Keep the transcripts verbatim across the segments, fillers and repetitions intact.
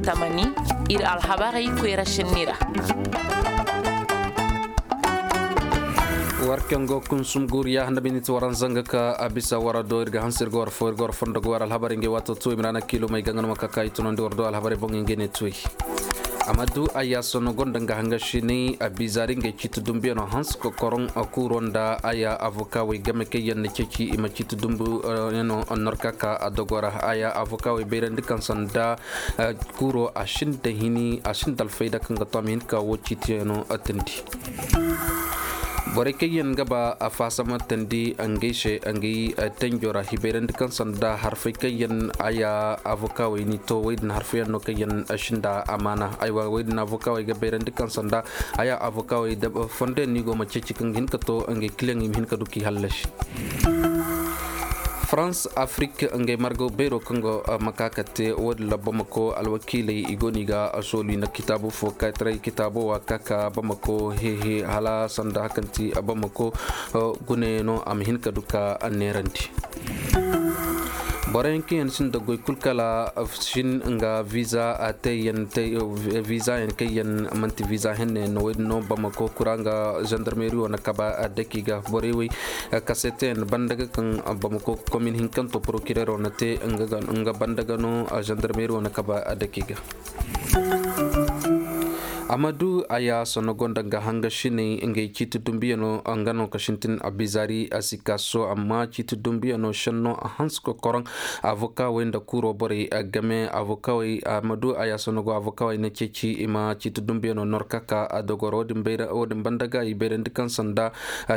Tamani, ir alhabarey koyra sinni ra. War kaŋ go kunsum guuriya handa miniti waran zanga ka a bisa wara do ir ga hanse ir ga war fo ir ga war fondo ga war alhabarey ngey waato tuwey mirana kiilumey ga nga no ma ka ka i tunandi war do alhabarey boŋey ngey ne tuwey. Amadu ayaaso no gonda nga hanga siney a biizaari ngey ciiti dumbuyano hanse kokoroŋ. Kuuro nda aya avokawey game kaŋ yaŋ na ceeci i ma ciiti dumbu yano norka ka a dogo ra aya avokawey bayrandi kaŋ sanda kuuro a sinda hini a sinda alfayda kaŋ ga to a ma hin ka wo ciitiyano tandi. Borey kaŋ yaŋ ga ba a faasama tandi ngey se ngey tenjo ra i bayrandi kaŋ sanda harfey kaŋ yaŋ aya avokawey ni to wey din harfey yaŋ no kaŋ yaŋ sinda amaana aywa wey din avokawey ga bayrandi kaŋ sanda aya avokawey fondo yaŋ no i go ma ceeci kaŋ ga hin ka to ngey kiliyaŋ i ma hin ka du k'i hallasi. Farans afrik ngey margaw bayro kaŋ go ma ka ka te wo- din ra bamako alwakiiley i go no i ga soolu i na kitaabu fo kaytaray kitaabo wa ka ka bamako hehe hala sanda hakanti bamako gune no a ma hin ka du ka neerandi. Boro yaŋ kaŋ yaŋ sinda goy kul kala sin nga viza a te yaŋ te viza yaŋ kaŋ yaŋ manti viza henne no wo- din no bamako kura nga zandarmeri wo na kaba a daki ga borey wey. Kaseteyaŋ banda ga kaŋ bamako komin hinkanto porokirero na te nga banda ga no zandarmeri wo na kaba a daki ga. Amadu aya sono gonda nga hanga siney ngey ciiti dumbiyano nga no ka sintin a bizaari a si ka so amma ciiti dumbiyano senno a hanse kokoroŋ. Avokawey nda kuro borey game avokawey amadu aya sono go avokawey na ceeci i ma ciiti dumbiyano norka ka a dogoro wo- din banda ga i bayrandi kaŋ sanda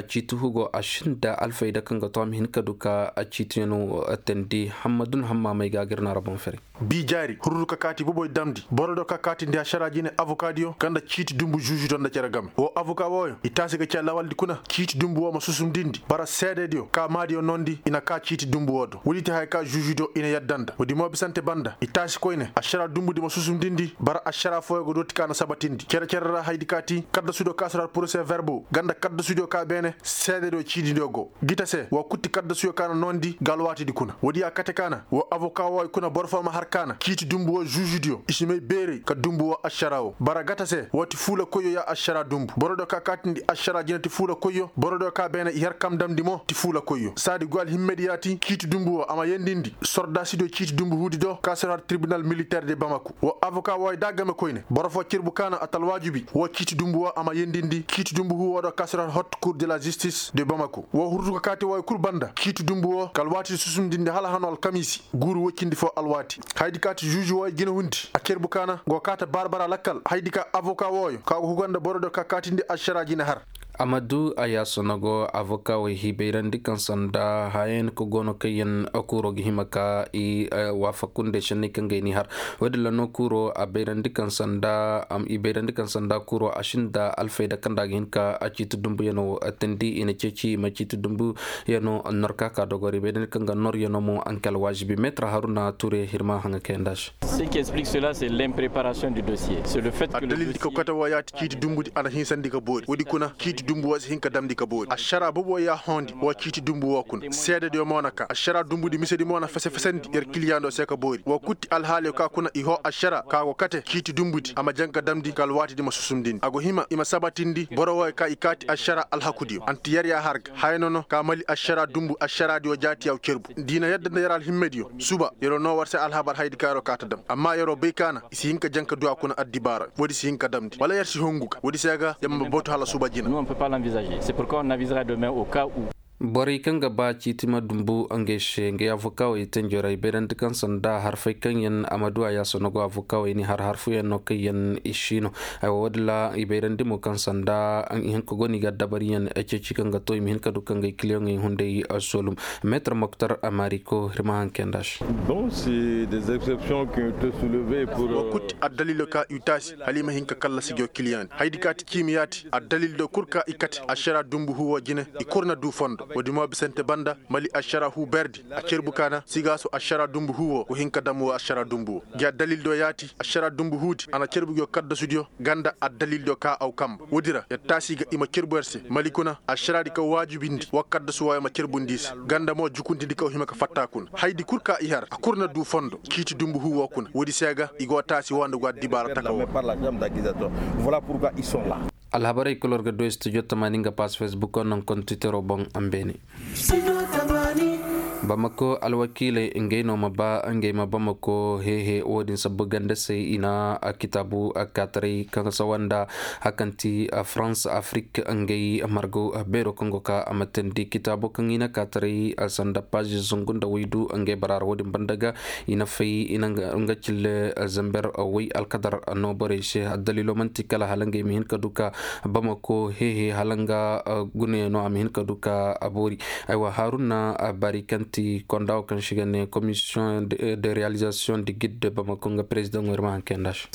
ciiti hugo a sinda alfayda kaŋ ga to a ma hin ka du ka ciitiyano tandi hammadun hamma may ga gir na ra boŋ fere. Bi jaari hururu ka kaati boboy damndi boro do ka kaatindi a sera jine avokadiyo kanda ciiti dumbu žuužudiyo nda cere game wo avoka wooyo i taasi ga ci a lawaldi kuna ciiti dumbu woo ma susumdindi bara seedediyo ka maadiyo noondi i na kaa ciiti dumbu woo do woodi ti haya ka žuužudiyo i na yadda nda woodi mo bisante banda i taasi koyne a sera dumbudi ma susumdindi bara a sera fooyo ga dooti ka na sabatindi cere-cere ra haydi kaati kaddasudiyo ka sera porose verbo ganda kaddasudiyo ka beene seedediyo ciididiyo go gita se wa kutti kaddasuyo ka na noondi ga alwaatidi kuna woodi ya kate ka na wa avoka wooyo kuna boro foo ma har ka na ciiti dumbu woo žuužudiyo i si may beerey ka dumbu woo ašara woo bara gata se woo ti fuula koyyo ya ašara dumbu borodiyo ka kaatindi ašara jina ti fuula koyyo borodiyo ka beene i har kam damndi mo ti fuula koyyo saadi goy alhimmedi ya ti ciiti dumbu woo a ma yendindi sordaasidiyo ciiti dumbu huudi do ka sir har tirbinal militer de bamaku woo avoka wooyo da game koyne boro foo cerbu ka na a talwaajubi woo ciiti dumbu woo a ma yendindi ciiti dumbu huu woo do ka sir har hot kur de la žistis de bamaku woo hurduka kaati wooyo kul banda ciiti dumbu woo ka alwaati susumdindi hala hano alkamiisi guuru woccindi foo alwaati haydi kaati žuuži wooyo jina hundi a cerbu ka na go kaata baara-baara lakkal haydi ka avoka wooyo ka go huga nda borodiyo ka kaatindi ašara jina har. Amadu a yaaso na go avoka wey hiibayrandi kaŋ sanda hayayaŋ ka go no kaŋ yaŋ kuuro ga hima ka i waafaku nda ay senney kaŋ ga ay n'i har woodin ra no kuuro a bayrandi kaŋ sanda i bayrandi kaŋ sanda kuuro a sinda alfayda kaŋ nda a ga hin ka a ciiti dumbuyaŋo tandi i na ceeci i ma ciiti dumbuyaŋo norka ka dogori bayrandi kaŋ ga noryaŋo mo a nka alwaazibi meetar haruna ture hirma haŋa kayanda se. Addalildi ka kote woo ya ti ciiti dumbudi a na hinsandi ka boori woodi kuna ciiti dumbu woo si hin ka damndi ka boori ašara bobo ya hoondi woo ciiti dumbu woo kuna seedediyo mo na ka ašara dumbudi misedi mo na fese-fesandi yer kiliyaŋo se ka boori woo kutti alhaaliyo ka kuna i hoo ašara ka go kate ciiti dumbudi a ma jaŋ ka damndi ka alwaatidi ma susumdindi a go hima i ma sabatindi boro wooyo ka i kaati ašara alhakudiyo anti yer ya har ga haya nono ka mali ašara dumbu ašaradiyo jaati yaw cerbu da i na yadda nda yer alhimmediyo suba yeroo noo war se alhabar hayadi ka yeroo kaa ta dam amma yeroo bay ka na i si hin ka jaŋ ka du a kuna addibaara woodi si hin ka damndi wala yer si hongu ga woodi se ga yer ma batu hala suba jina. Borey kaŋ ga ba ciiti ma dumbu ngey se ngey avokawey tenjorey bayrandi kaŋ sanda harfey kaŋ yaŋ a ma du a yaasa no go avokawey ni har harfuyaŋ no kaŋ yaŋ i si no. Aywa woodin ra i bayrandi mo kaŋ sanda ihinka go no i ga dabariyaŋ ceeci kaŋ ga to i ma hin ka du kaŋ ga i kiliyaŋey hunday solum. Meetar moktar amariko ir ma haŋ kayanda se. Wa kutti addaliilo ka i taasi hala i ma hin ka kallasi jo kiliyaŋ di hayadi ka ti ciimi yaati addaliil do kul ka i kate ašara dumbu huwo jine i kul na du fondo Woodi mo bisante banda mali ašara huu berdi a cerbu ka na sigaaso ašara dumbu huu wo go hin ka dam wo ašara dumbu wo. Gi addalil do yaati ašara dumbu huudi a na cerbu gi wo kaddasudiyo ganda addalil do ka aw kamba woodi ra yer taasi ga i ma cerbu yer se mali kuna ašaraadi ka waajibindi wa kaddasu wooyo ma cerbundi i se. Ganda mo jukuntindi ka aw hima ka fatta kuna haydi kul ka i har a kul na duu fondo ciiti dumbu huu woo kuna woodi se ga i go taasi woo nda go addibaara taka woo. Alhabarey kul war ga du studio tamaani nga pass facebook non kontu titero boŋ. Ambeene bamako alwakiiley ngey no ma ba ngey ma bamako hehe wo-din sabbu ganda se i na kitaabu kaataray kaŋ sawa nda hakanti france afrik ngey margo beero kaŋ go ka a ma teendi kitaabo kaŋ i na kaataray sanda paazi zungu nda waydu ngey baraara wo-din banda ga i na fay i na nga cille zamber way alkadar no borey se addalilo manti kala hala ngey ma hin ka du ka bamako hehe hala nga gune no a ma hin ka du ka a boori. Aywa haruna bari kaŋ ti konda wo kaŋ si ga ne commission de réalisation de guide de bamako nga président wo ir ma hanke nda se.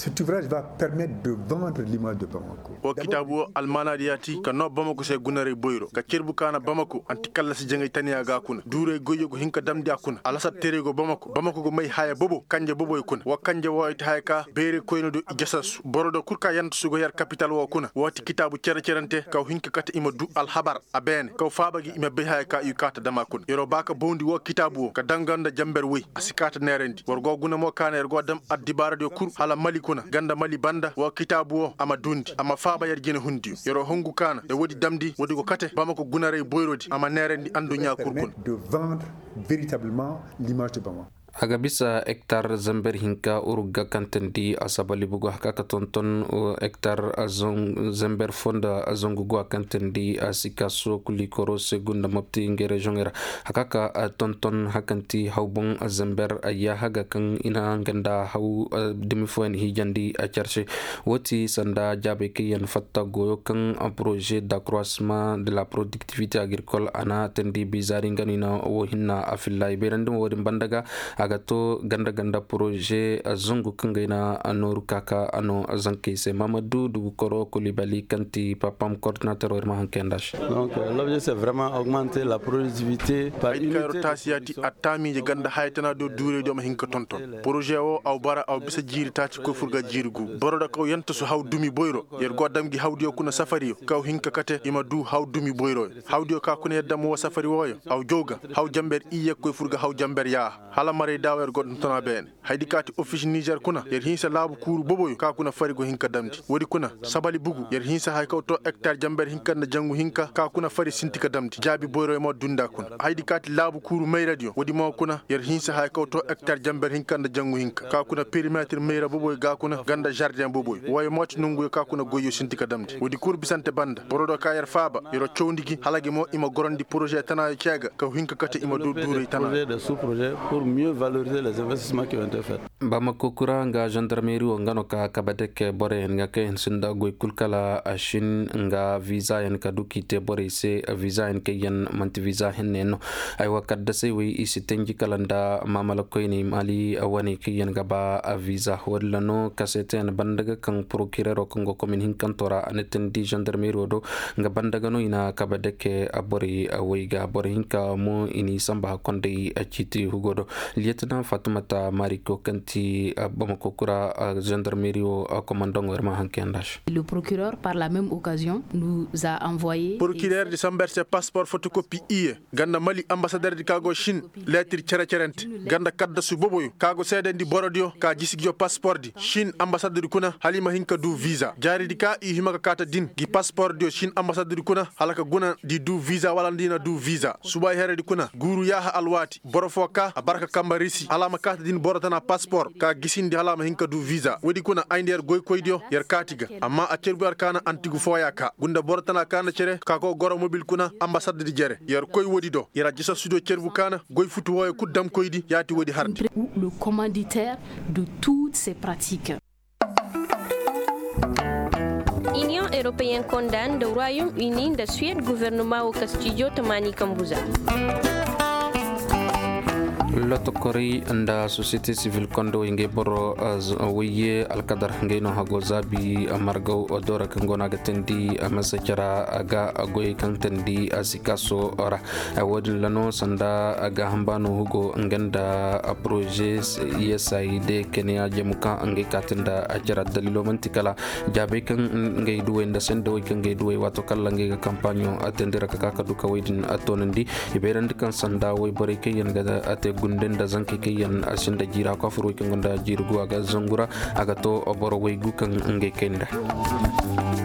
Wo kitaabu wo almaanaadi yaati ka noo bamako se gunaray boyro ka cerbu ka na bamako anti kallasi jaŋay taniya ga a kuna duuray goyyo go hin ka damndi a kuna alasar teeray go bamako bamako go may haya bobo kanje boboy kuna wa kanje wooyo ti haya ka bayray koyne do i jasassu boro do kul ka yantasu go yer kapital woo kuna woo ti kitaabu cere-cerante kaw hin ka kate i ma duu alhabar a beene kaw faaba gi i ma bay haya ka i kaa ta dam a kuna yeroo ba ka bawndi woo kitaabu woo ka danga nda jamber woy a si kaa ta neerandi war go guna mo ka na yer go dam addibaaradiyo kul hala mali kuna ganda mali banda woo kitaabu woo a ma duundi a ma faaba yer jinehundiyo yeroo hungu ka na yer woodi damndi woodi go kate bamako gunaray boyrodi a ma neerandi adduɲɲaa kul kuna. A ga bisa hektar zamber hinka urug ga kaŋ teendi a sabali bugu haka ka tonton hektar zamber fo nda zangu go a kaŋ teendi a si ka sokuli koro se gunda mopti ngey reziyoŋey ra haka ka tonton hakanti haw boŋ zamber yaaha ga kaŋ i na nga nda haw dumi fooyaŋ hiijandi a care se. Wo ti sanda jaabey kaŋ yaŋ fatta goyo kaŋ poroze dakroisement de la productivité agricole a na teendi bizaari nga no i na wo hinna a filla i bayrandi mo wo-din banda ga a ga to ganda ganda poroze zangu kaŋ ga ay na nooru kaaka a no zankey se mahamadu dugukoro kulibali kaŋ ti papam koordinater wo ir ma haŋ kayanda se. Ay di kaŋ yer wo taasi yaati a taamiije ganda hayatana do duurey do ma hin ka tonton poroze wo aw bara aw bisa jiiri taaci koy fur ga jiiri gu boro da kaw yantasu haw dumi boyro yer go dam gi hawdiyo kuna safariyo kaw hin ka kate i ma du haw dumi boyroyo hawdiyo ka kuna yer dam wo safari wooyo aw jaw ga haw jamber iyye koy fur ga haw jamber yaaha hala maray daawo yer go tonton a beene. Haydi kaati ofis nizer kuna yer hinsa laabu kuuru boboyo ka kuna fari go hin ka damndi woodi kuna sabali bugu yer hinsa haya kaw to hektar jamber hinka nda jangu hinka ka kuna fari sinti ka damndi jaabi boyroyo ma dundi a kuna haydi kaati laabu kuuru mayradiyo woodi mo kuna yer hinsa haya kaw to hektar jamber hinka nda jangu hinka ka kuna perimetir mayra boboyo ga kuna ganda zardeŋ boboyo wooyo mo ti nonguyo ka kuna goyyo sinti ka damndi woodi kul bisante banda boro do ka yer faaba yer wo cawndi gi hala gi mo i ma gorandi poroze tanaayo cee ga kaw hin ka kate i ma du duuray tanaayo. Bamako kura nga zandarmeri wo nga no ka kabadeke boroyaŋ nga kaŋ yaŋ sinda goy kul kala a sin nga vizayaŋ ka du k'i te borey se vizayaŋ kaŋ yaŋ manti viza henne no. Ay wa kaddasey wey i si tanji kala nda maamala koyney mali wane kaŋ yaŋ ga ba viza woodin ra no kaseete yaŋ banda ga kaŋ porokirero kaŋ go komin hinkanto ra a na tandi zandarmeri wo do nga banda ga no i na kabadeke borey wey ga boro hinka mo i n'i samba hakkonday ciiti hugo do. Liyetina fatumata mariko kaŋ ti bamako kura zandarmeri wo komandaŋo ir ma haŋ kayanda se. Le procureur par la même occasion nous a envoyé. Porokirerdi samber se paspor fotokopi iyye ganda mali ambasaderdi ka go sin leetir cere-cerente ganda kaddasu boboyo ka go seedandi borodiyo ka jisi giyo paspordi sin ambasadedi kuna hala i ma hin ka du viza jaaridi ka i hima ka kaata din gi paspordiyo sin ambasadedi kuna hala ka guna nda i du viza wala nda i na du viza subay heredi kuna guuru yaaha alwaati boro foo ka a bara ka kamba risi hala a ma kaata din boro tana paspor ka gisindi hala a ma hin ka du viza woodi kuna ay nda yer goykoydiyo yer kaati ga amma a cerbu yer kaana antigu fooya ka gunda boro tana kaana cere ka go goro mobil kuna ambasadedi jere yer koy woodi do yer a jasasudiyo cerbu kaana goy futu wooyo kul damkoydi yaati woodi harndi. Le commanditaire de toutes ces pratiques. Inion europeen konda nda royaume uni nda suwed guvernema wo ka stijo tamaani kambuza. Lotokorey nda sosiyete sivil kondowey ngey boro wayye alkadar ngey no hago zaabi margaw doora kaŋ go no a ga teendi masa cara ga goyey kaŋ teendi sikaso ra. Wo-din ra no sanda gaaham baano hugo nga nda poroze usaid keneya jamuka ngey kaati nda cara daliilo man'ti kala jaabey kaŋ ngey duwey nda sendawey kaŋ ngey duwey waato kala ngey ga kampaaɲo teendi ra ka ka ka du ka wey din toonandi. I bayrandi kaŋ sanda wayborey kaŋ yaŋ ga te gunde nda zankey kaŋ yaŋ sinda jiira kwaafur wey kaŋ gonda jiiri guwa ga zangu ra a ga to boro waygu kaŋ ngey kay nda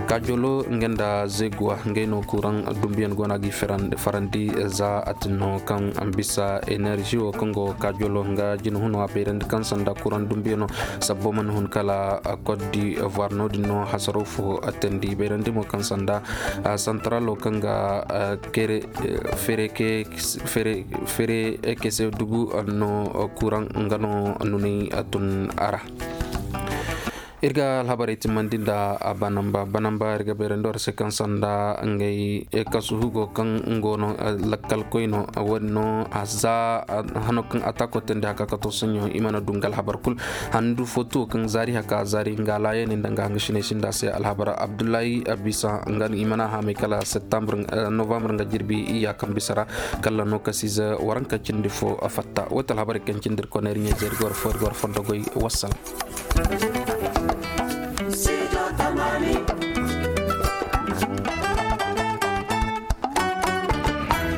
kaajolo nga nda zeguwa ngey no kuraŋ dumbuyaŋ go no a ga i farandi za a tin no kaŋ bisa enerži wo kaŋ go kaajolo nga jina huno a bayrandi kaŋ sanda kuraŋ dumbuyano sabbo mana hun kala cote d'ivoire no-din no hasaro fo teendi bayrandi mo kaŋ sanda santaralo kaŋ ga kere fere ke fere fere kese dugu no kuraŋ nga no nunay tun a ra. Ir ga alhabarey timmandi nda banamba banamba ir ga bayrandi war se kaŋ sanda ngey kasu hugo kaŋ ngo no lakkal koy no. Wo-din no za hano kaŋ atako teendi haka ka to soɲo i mana du nga alhabar kul handu fo tuwo kaŋ zaari haka zaari nga alaayaney nda nga hangasiney sinda se alhabar abdullahi bisa nga i mana haamay kala septembre novembre nga jirbi iyya kaŋ bisa ra kala no kasiize waranka cindi fo fatta wo ti alhabarey kaŋ cindi ir koney ir ɲayze ir ga war fo ir ga war fondo goy. Wassalam.